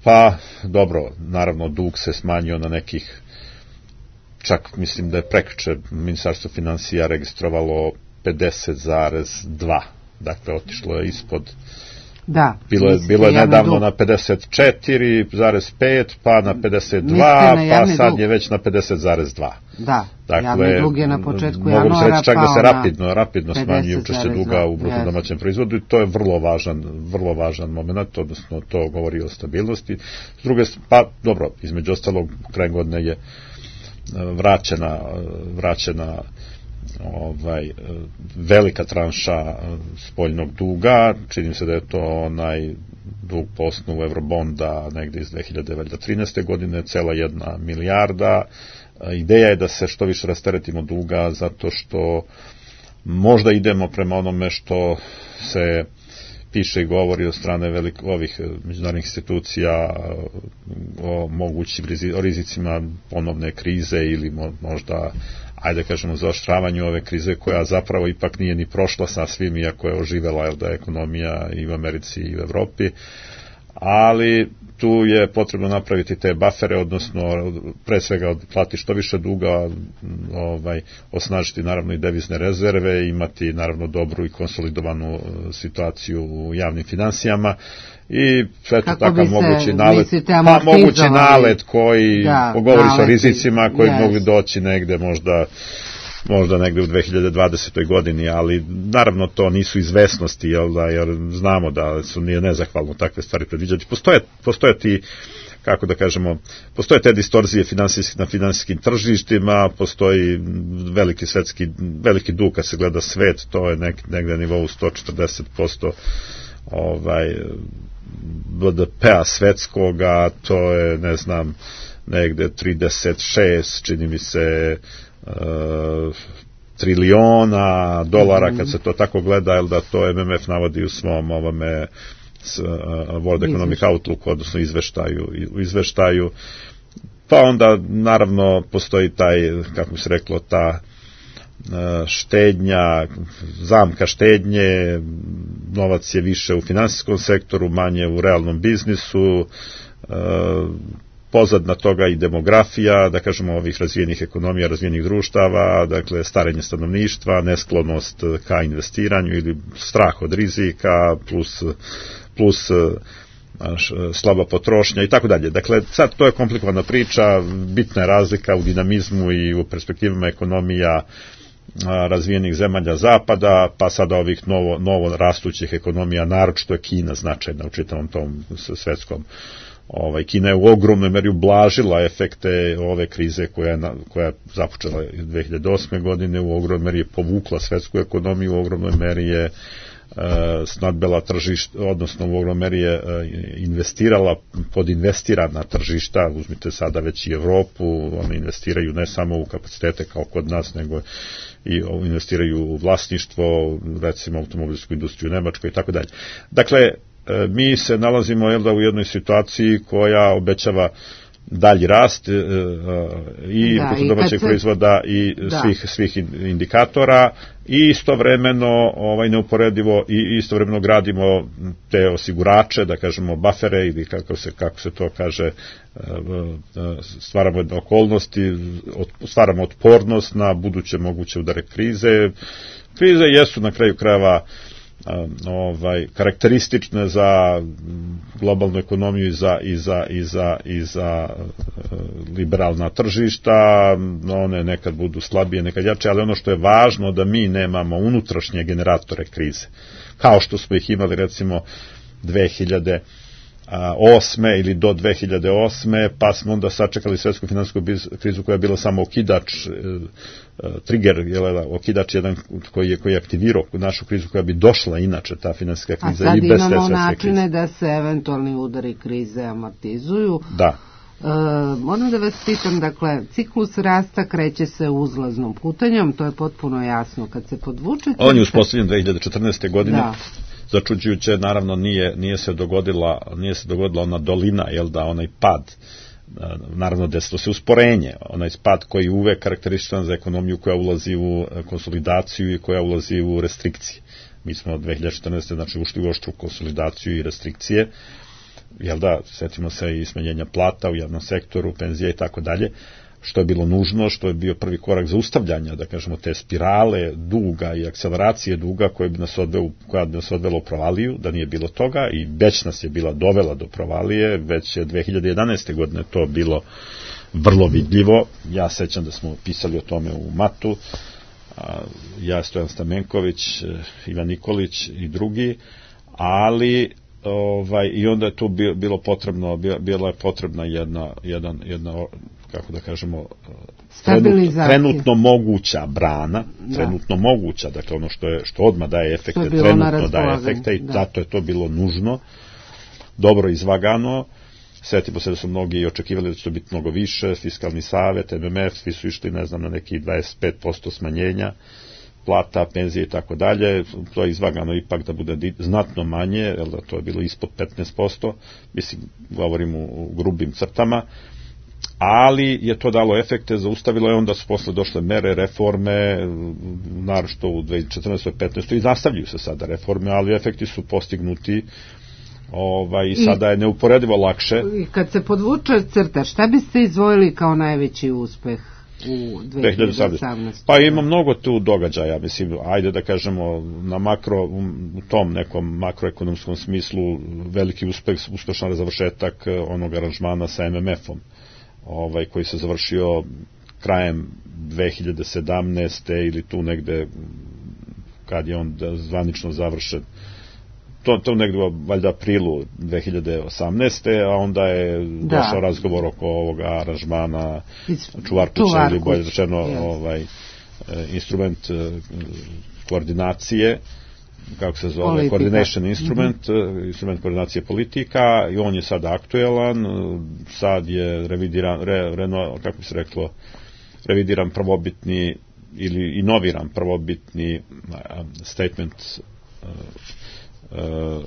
Pa dobro, naravno dug se smanjio na nekih, čak mislim da je prekjuče Ministarstvo financija registrovalo pedeset zarez dva, dakle otišlo je ispod, da, bilo je, bilo je nedavno dug na pedeset četiri zarez pet, pa na pedeset dva, na pa sad dug je već na pedeset zarez dva. Da, dakle, javni dug je na početku januara mogu se reći čak da se rapidno, rapidno smanjuje učešće duga u bruto domaćem proizvodu i to je vrlo važan, vrlo važan moment, odnosno to govori o stabilnosti. S druge, pa dobro, između ostalog, kraj godine je vraćena, vraćena ovaj, velika tranša spoljnog duga, čini se da je to onaj dug po osnovu Eurobonda negdje iz dve hiljade trinaeste godine, cela jedna milijarda. Ideja je da se što više rasteretimo duga, zato što možda idemo prema onome što se piše i govori od strane velik, ovih međunarodnih institucija o mogućim o rizicima ponovne krize ili možda, ajde kažemo, zaoštravanju ove krize koja zapravo ipak nije ni prošla sa svim, iako je oživela, jel da, ekonomija i u Americi i u Evropi, ali tu je potrebno napraviti te bafere, odnosno pre svega otplati što više duga, ovaj, osnažiti naravno i devizne rezerve, imati naravno dobru i konsolidovanu situaciju u javnim finansijama i sve to takav mogući nalet, pa mogući nalet koji da, govori se o rizicima koji yes. mogli doći negde možda možda negde u dve hiljade dvadesetoj godini, ali naravno to nisu izvesnosti, jel da, jer znamo da su nije nezahvalno takve stvari predviđati. Postoje, postoje ti, kako da kažemo, postoje te distorzije finansijski, na finansijskim tržištima, postoji veliki svetski, veliki dug kad se gleda svet, to je nek, negde na nivou sto četrdeset posto ovaj, B D P-a svetskoga, to je, ne znam, negde trideset šest, čini mi se, Uh, triliona dolara, kad se to tako gleda, jel da to M M F navodi u svom ovome s, uh, World Economic Outlook, odnosno izveštaju, u izveštaju, pa onda naravno postoji taj, kako bi se reklo, ta uh, štednja, zamka štednje, novac je više u finansijskom sektoru, manje u realnom biznisu, uh, pozadna toga i demografija, da kažemo, ovih razvijenih ekonomija, razvijenih društava, dakle starenje stanovništva, nesklonost ka investiranju ili strah od rizika, plus, plus slaba potrošnja i tako dalje. Dakle, sad to je komplikovana priča, bitna je razlika u dinamizmu i u perspektivama ekonomija razvijenih zemalja zapada, pa sada ovih novo, novo rastućih ekonomija, naročito je Kina značajna u čitavom tom svetskom. Ovaj, Kina je u ogromnoj meri ublažila efekte ove krize koja je, koja je započela dve hiljade osme godine, u ogromnoj meri je povukla svetsku ekonomiju, u ogromnoj meri je e, snadbela tržišta, odnosno u ogromnoj meri je e, investirala, podinvestirana tržišta, uzmite sada već i Evropu, one investiraju ne samo u kapacitete kao kod nas, nego i investiraju u vlasništvo, recimo automobilsku industriju u Nemačkoj i tako dalje. Dakle, mi se nalazimo, jel da, u jednoj situaciji koja obećava dalji rast e, i domaćeg proizvoda i da. svih, svih indikatora i istovremeno ovaj, neuporedivo i istovremeno gradimo te osigurače, da kažemo bafere ili kako se, kako se to kaže, stvaramo okolnosti, stvaramo otpornost na buduće moguće udare krize. Krize jesu na kraju krajeva ovaj karakteristične za globalnu ekonomiju i za i za i za i za liberalna tržišta, one nekad budu slabije, nekad jače, ali ono što je važno da mi nemamo unutrašnje generatore krize, kao što smo ih imali recimo dve hiljade osme ili do dve hiljade osme, pa smo onda sačekali svetsku finansijsku krizu koja je bila samo okidač, trigger, jel, okidač jedan koji je, koji je aktivirao našu krizu koja bi došla inače, ta finansijska kriza i bez te svetske krize. A sad imamo načine da se eventualni udari krize amortizuju. Da. E, moram da vas pitam, dakle, ciklus rasta kreće se uzlaznom putanjom, to je potpuno jasno kad se podvučete. On je uspostavljen dve hiljade četrnaeste. godine. Da. Začuđujuće, naravno, nije, nije se dogodila, nije se dogodila ona dolina, jel da, onaj pad, naravno desilo se usporenje, onaj pad koji je uvek karakterističan za ekonomiju koja ulazi u konsolidaciju i koja ulazi u restrikcije. Mi smo od dve hiljade četrnaeste. znači ušli u oštru konsolidaciju i restrikcije, jel da, setimo se i smanjenja plata u javnom sektoru, penzija i tako dalje, što je bilo nužno, što je bio prvi korak zaustavljanja, da kažemo, te spirale duga i akceleracije duga koja bi nas odvela, koja bi nas odvela u provaliju, da nije bilo toga i već nas je bila dovela do provalije, već je dve hiljade jedanaeste. godine to bilo vrlo vidljivo. Ja sećam da smo pisali o tome u Matu, ja, Stojan Stamenković, Ivan Nikolić i drugi, ali ovaj, i onda je tu bilo potrebno, bila je potrebna jedna, jedan, jedna kako da kažemo, trenutno, trenutno moguća brana, da. trenutno moguća, dakle ono što je što odmah daje efekte, trenutno daje efekte i da. zato je to bilo nužno, dobro izvagano. Sjetimo se da su mnogi očekivali da će to biti mnogo više, fiskalni savet, M M F, svi su išli, ne znam, na neki dvadeset pet posto smanjenja plata, penzije i tako dalje, to je izvagano ipak da bude znatno manje, jer da to je bilo ispod petnaest posto, mislim, govorim u grubim crtama, ali je to dalo efekte, zaustavilo je, onda su posle došle mere, reforme, naročito u dve hiljade četrnaestoj petnaestoj i nastavljaju se sada reforme, ali efekti su postignuti. Ovaj, i sada je neuporedivo lakše. I kad se podvuče crta, šta biste izdvojili kao najveći uspeh u dve hiljade osamnaestoj? Pa ima mnogo tu događaja, mislim, ajde da kažemo na makro, u tom nekom makroekonomskom smislu veliki uspeh, uspešan završetak onog aranžmana sa em em efom, ovaj, koji se završio krajem dve hiljade sedamnaeste ili tu negde kad je on zvanično završen. To, to negdje valjda aprilu dve hiljade osamnaeste. a onda je da. došao razgovor oko ovoga aranžmana Čuvarkuća ili bolje rečeno yes. ovaj, instrument koordinacije, kako se zove, politika. Coordination instrument, mm-hmm. instrument koordinacije politika, i on je sad aktuelan, sad je revidiran, re, reno, kako bi se reklo, revidiran prvobitni ili inoviran prvobitni statement Uh,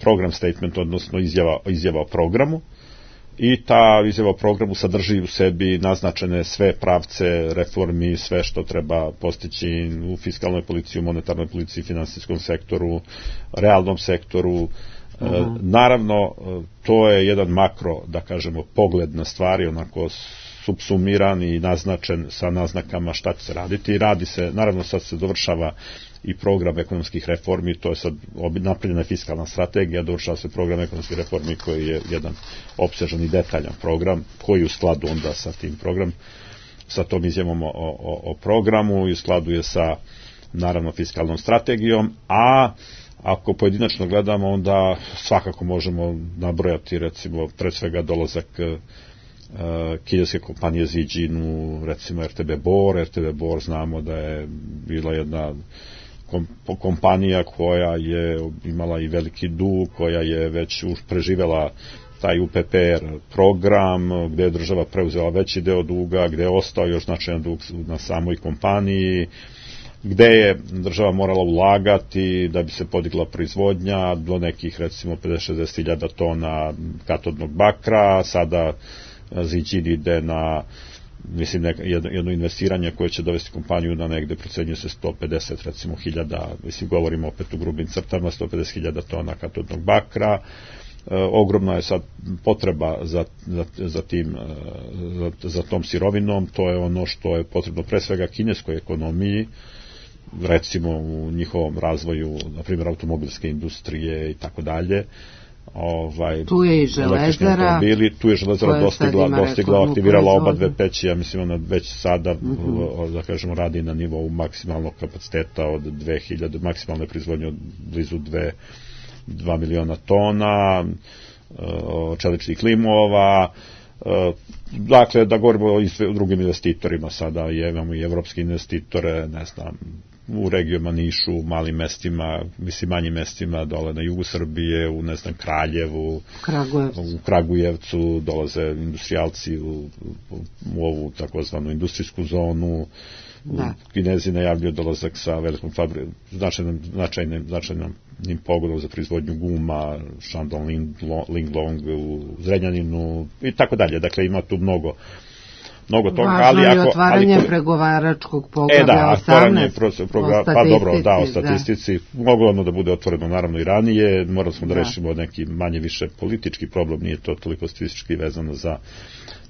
program statement, odnosno izjava, izjava o programu, i ta izjava o programu sadrži u sebi naznačene sve pravce reformi, sve što treba postići u fiskalnoj policiji, u monetarnoj policiji, finansijskom sektoru, realnom sektoru. Uh-huh. Uh, naravno, to je jedan makro, da kažemo, pogled na stvari, onako subsumiran i naznačen sa naznakama šta će se raditi. I radi se, naravno sad se dovršava i program ekonomskih reformi, to je sad napravljena fiskalna strategija, dovršava se program ekonomskih reformi koji je jedan opsežan i detaljan program, koji u skladu onda sa tim program, sa tom izjavom o, o, o programu, i u skladu je sa, naravno, fiskalnom strategijom, a ako pojedinačno gledamo, onda svakako možemo nabrojati, recimo, pred svega dolazak Uh, kineske kompanije Zijin, recimo R T B Bor. R T B Bor znamo da je bila jedna kom, kompanija koja je imala i veliki dug, koja je već preživela taj U P P R program, gde je država preuzela veći deo duga, gde je ostao još značajan dug na samoj kompaniji, gde je država morala ulagati da bi se podigla proizvodnja do nekih, recimo, pedeset do šezdeset hiljada tona katodnog bakra. Sada Zijin ide na, mislim, neka, jedno, jedno investiranje koje će dovesti kompaniju na negde, procenjuje se sto pedeset, recimo, hiljada, mislim, govorimo opet u grubim crtama, sto pedeset hiljada tona katodnog bakra. E, ogromna je sad potreba za, za, za, tim, za, za tom sirovinom. To je ono što je potrebno pre svega kineskoj ekonomiji, recimo u njihovom razvoju, na primjer, automobilske industrije i tako dalje. Ovaj, tu je i železara, tu je železara dostigla, dostigla aktivirala oba dve peći, ja mislim ona već sada, mm-hmm. da kažemo, radi na nivou maksimalnog kapaciteta od dve hiljade, maksimalne proizvodnje od blizu dva miliona tona, čeličnih limova. Dakle, da govorimo o drugim investitorima, sada imamo i evropske investitore, ne znam, u regijama Nišu, u malim mestima, mislim manjim mestima, dole na jugu Srbije, u, ne znam, Kraljevu, Kragujevcu. u Kragujevcu, dolaze industrijalci u, u, u ovu takozvanu industrijsku zonu. Da. Kinezi najavljuju dolazak sa velikom fabrikom, značajnim, značajnim, značajnim pogodom za proizvodnju guma, Shandong Linglong u Zrenjaninu i tako dalje. Dakle, ima tu mnogo mnogo toga, važno ali je ako otvaranje ali, pregovaračkog poglavlja e, da, osamnaest pro, pro, pa dobro, da, o statistici, da. Moglo ono da bude otvoreno naravno i ranije, morali smo da, da rešimo neki manje više politički problem, nije to toliko statistički vezano za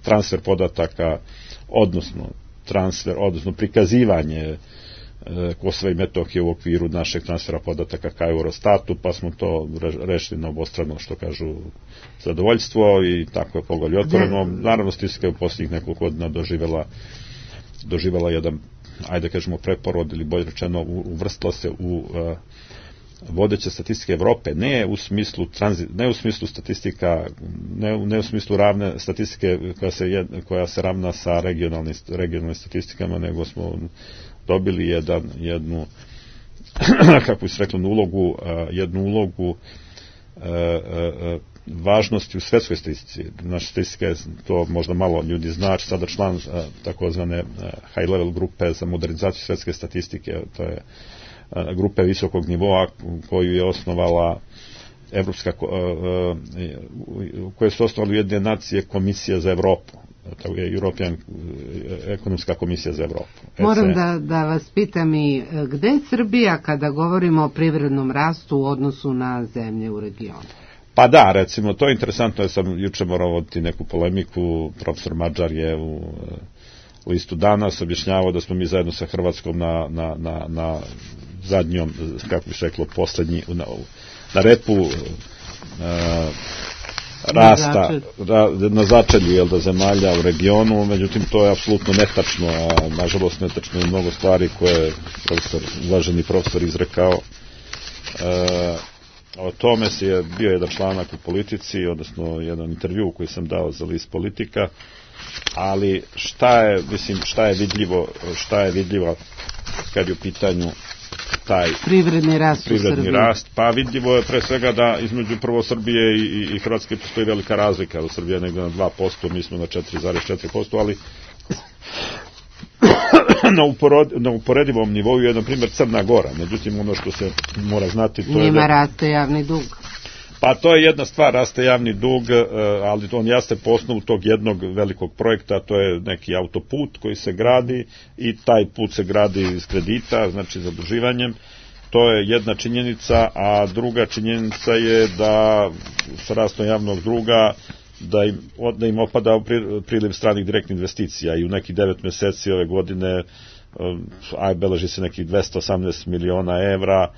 transfer podataka, odnosno transfer, odnosno prikazivanje e, Kosova i Metohije u okviru našeg transfera podataka ka Eurostatu, pa smo to rešili na obostrano, što kažu, zadovoljstvo, i tako je poglavlje otvoreno. Naravno, statistika je u posljednjih nekoliko godina doživjela, doživjela jedan, ajde kažemo, preporod, ili bolje rečeno, uvrstila se u e, vodeće statistike Evrope, ne u smislu tranzi, ne u smislu statistika, ne, ne u smislu ravne statistike koja se, jed, koja se ravna sa regionalnim, regionalnim statistikama, nego smo dobili jedan, jednu, kako bi se reklo, ulogu, jednu ulogu važnosti u svetskoj statistici. Naša statistika je, to možda malo ljudi zna, sada član uh, takozvane uh, high level grupe za modernizaciju svetske statistike, to je uh, grupe visokog nivoa koju je osnovala Evropska, uh, uh, koje su osnovali Ujedinjene nacije Komisija za Evropu. To je European ekonomska komisija za Evropu. Moram da, da vas pitam i gde je Srbija kada govorimo o privrednom rastu u odnosu na zemlje u regionu? Pa da, recimo, to je interesantno, ja sam juče morao voditi neku polemiku, profesor Mađar je u listu Danas objašnjavao da smo mi zajedno sa Hrvatskom na, na, na, na zadnjom, kako bi se reklo, poslednji, na, na repu uh, rasta ra, na začelju jel da, zemalja u regionu, međutim to je apsolutno netačno, a nažalost netačno je mnogo stvari koje je profesor, uvaženi profesor izrekao. E, o tome se je bio jedan članak u Politici, odnosno jedan intervju koji sam dao za list Politika, ali šta je, mislim, šta je vidljivo, šta je vidljivo kad je u pitanju taj privredni rast, privredni rast, pa vidljivo je pre svega da između prvo Srbije i, i, i Hrvatske postoji velika razlika, u Srbiji je negdje na dva posto, mi smo na četiri zarez četiri posto, ali na, uporod, na uporedivom nivou je, na primjer, Crna Gora, međutim ono što se mora znati to njima je da raste javni dug. Pa to je jedna stvar, raste javni dug, ali on jaste po osnovu tog jednog velikog projekta, to je neki autoput koji se gradi i taj put se gradi iz kredita, znači zaduživanjem. To je jedna činjenica, a druga činjenica je da sa rastom javnog duga da im, da im opada priliv stranih direktnih investicija i u nekih devet meseci ove godine a beleži se nekih dvesta osamnaest miliona evra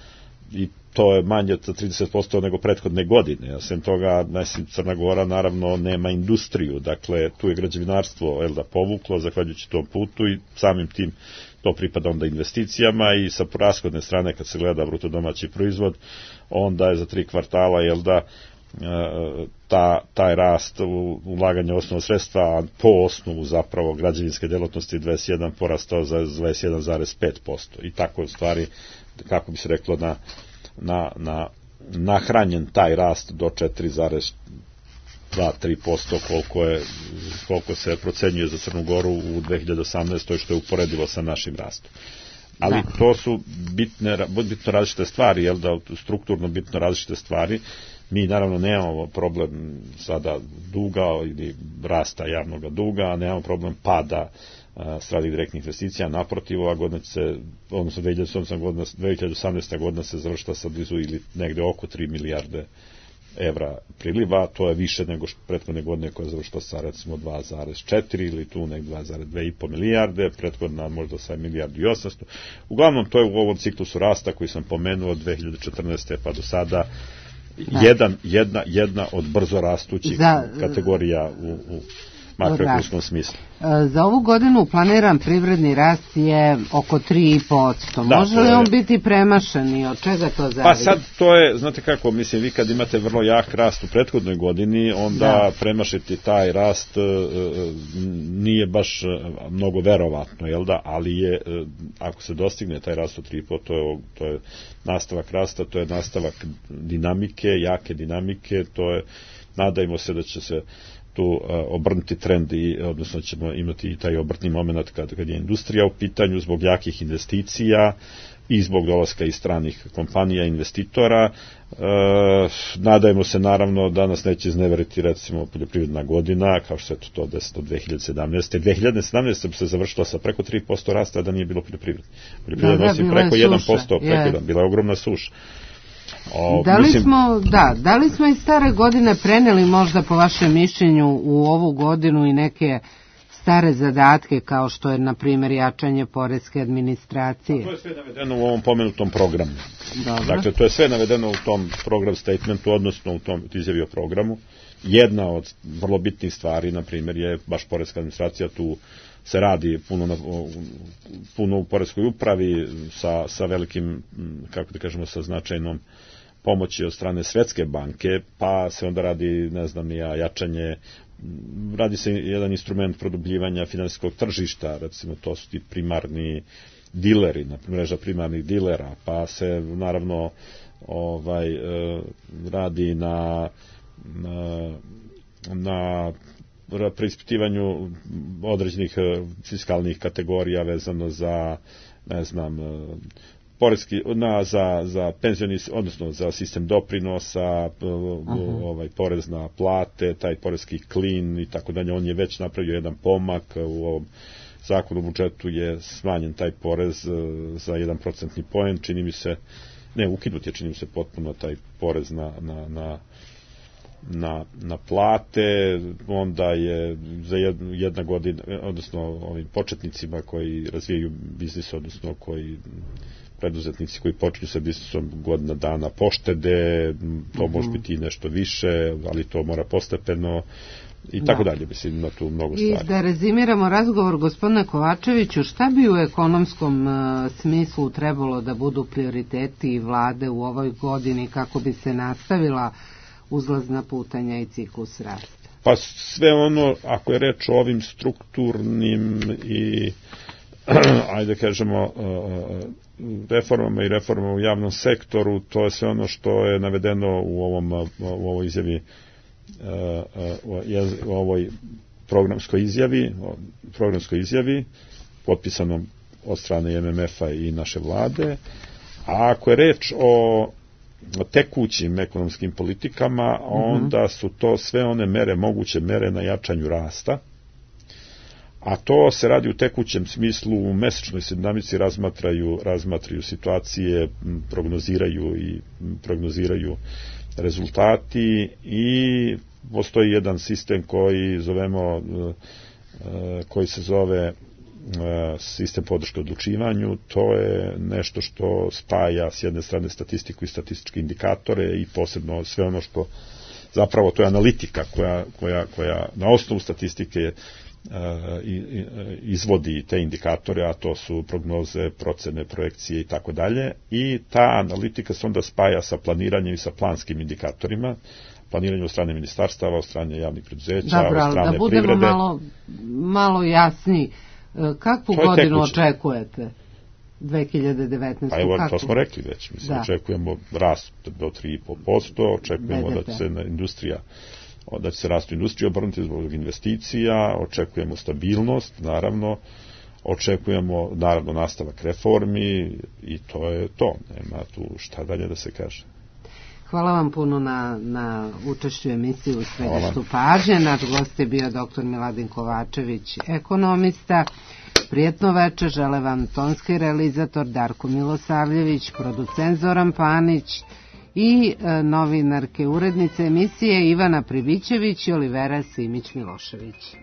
i to je manje za trideset posto nego prethodne godine. A sem toga, mislim, Crna Gora naravno nema industriju, dakle tu je građevinarstvo jel da, povuklo zahvaljujući tom putu i samim tim to pripada onda investicijama i sa rashodne strane kad se gleda bruto domaći proizvod, onda je za tri kvartala jel da ta, taj rast ulaganja osnovnog sredstva po osnovu zapravo građevinske delatnosti dvadeset jedan porastao za dvadeset jedan zarez pet posto i tako stvari, kako bi se reklo, na na, na nahranjen taj rast do četiri zarez dva do tri posto koliko je koliko se procenjuje za Crnu Goru u dve hiljade osamnaestoj što je uporedivo sa našim rastom. Ali da. To su bitne, bitno različite stvari, jel da, strukturno bitno različite stvari. Mi naravno nemamo problem sada duga ili rasta javnog duga, a nemamo problem pada stranih direktnih investicija, naprotiv, ova godina se, odnosno dve hiljade osamnaesta godina se završila sa blizu ili negde oko tri milijarde evra priliva, to je više nego prethodne godine koja je završila sa recimo dva zarez četiri ili tu nek dva zarez dva i po milijarde, prethodna možda sa milijardu i osamsto. Uglavnom to je u ovom ciklusu rasta koji sam pomenuo od dve hiljade četrnaeste pa do sada jedan, jedna, jedna od brzo rastućih Za, kategorija u, u makroekonomskom smislu. Za ovu godinu planiran privredni rast je oko tri i po posto. Može li on biti premašen i od čega to zavisi? Pa sad to je, znate kako, mislim, vi kad imate vrlo jak rast u prethodnoj godini, onda da. premašiti taj rast nije baš mnogo verovatno, jel da? Ali je, ako se dostigne taj rast od tri i po posto, to je, to je nastavak rasta, to je nastavak dinamike, jake dinamike, to je, nadajmo se da će se tu uh, obrnuti trend i odnosno ćemo imati i taj obrtni moment kad, kad je industrija u pitanju zbog jakih investicija i zbog dolaska iz stranih kompanija, investitora. Uh, nadajmo se naravno da nas neće izneveriti recimo poljoprivredna godina, kao što je to desilo dve hiljade sedamnaeste. dve hiljade sedamnaeste bi se završila sa preko tri posto rasta da nije bilo poljoprivrede. Poljoprivreda nosi preko jedan posto, preko jedan, bila je ogromna suša. O, da li mislim, smo, da, da li smo iz stare godine preneli možda po vašem mišljenju u ovu godinu i neke stare zadatke kao što je na primjer jačanje poreske administracije? A to je sve navedeno u ovom pomenutom programu. Dobro. Dakle, to je sve navedeno u tom program statementu, odnosno u tom izjavi o programu. Jedna od vrlo bitnih stvari, na primjer, je baš poreska administracija. Tu se radi puno, na, puno u poreskoj upravi sa, sa velikim, kako da kažemo, sa značajnom pomoći od strane Svetske banke, pa se onda radi, ne znam, ja, jačanje, radi se jedan instrument produbljivanja finansijskog tržišta, recimo to su ti primarni dileri, mreža primarnih dilera, pa se naravno ovaj, radi na na, na preispitivanju određenih fiskalnih kategorija vezano za, ne znam, poreski, na, za, za penzioni, odnosno za sistem doprinosa, uh-huh. ovaj, porez na plate, taj poreski klin i tako dalje. On je već napravio jedan pomak. U ovom zakonu o budžetu je smanjen taj porez za jedan procentni poen. Čini mi se, ne, ukinut je, čini mi se potpuno taj porez na, na, na Na, na plate. Onda je za jedna godina, odnosno ovim početnicima koji razvijaju biznis, odnosno koji preduzetnici koji počinju sa biznisom, godina dana poštede, to mm-hmm. može biti nešto više, ali to mora postepeno i tako da. dalje, mislim, ima tu mnogo stvari. I da rezimiramo razgovor, gospodine Kovačeviću, šta bi u ekonomskom uh, smislu trebalo da budu prioriteti vlade u ovoj godini kako bi se nastavila uzlazna putanja i ciklus rasta? Pa sve ono, ako je reč o ovim strukturnim i ajde kažemo reformama i reformama u javnom sektoru, to je sve ono što je navedeno u ovom u ovoj izjavi, u ovoj programskoj izjavi, programskoj izjavi potpisanom od strane em em ef-a i naše vlade. A ako je reč o tekućim ekonomskim politikama, onda su to sve one mere, moguće mere na jačanju rasta, a to se radi u tekućem smislu, u mesečnoj se dinamici razmatraju, razmatraju situacije, prognoziraju i prognoziraju rezultati i postoji jedan sistem koji zovemo, koji se zove sistem podrške odlučivanju. To je nešto što spaja s jedne strane statistiku i statističke indikatore i posebno sve ono što zapravo to je analitika koja, koja, koja na osnovu statistike izvodi te indikatore, a to su prognoze, procene, projekcije i tako dalje, i ta analitika se onda spaja sa planiranjem i sa planskim indikatorima, planiranje od strane ministarstava, od strane javnih preduzeća, Dobro, od strane da budemo privrede. malo, malo jasniji. Kakvu godinu tekuće. Očekujete? dve hiljade devetnaeste. Pa evo, kako? To smo rekli već. Mislim, da. Očekujemo rast do tri i po posto, očekujemo B D P. Da će se na industrija, da će se rastu industrija obrnuti zbog investicija, očekujemo stabilnost, naravno, očekujemo, naravno, nastavak reformi i to je to. Nema tu šta dalje da se kaže. Hvala vam puno na, na učešću emisiji u središtu pažnje. Naš gost je bio doktor Miladin Kovačević, ekonomista. Prijetno veče, žele vam tonski realizator Darko Milosavljević, producent Zoran Panić i e, novinarke urednice emisije Ivana Pribićević i Olivera Simić-Milošević.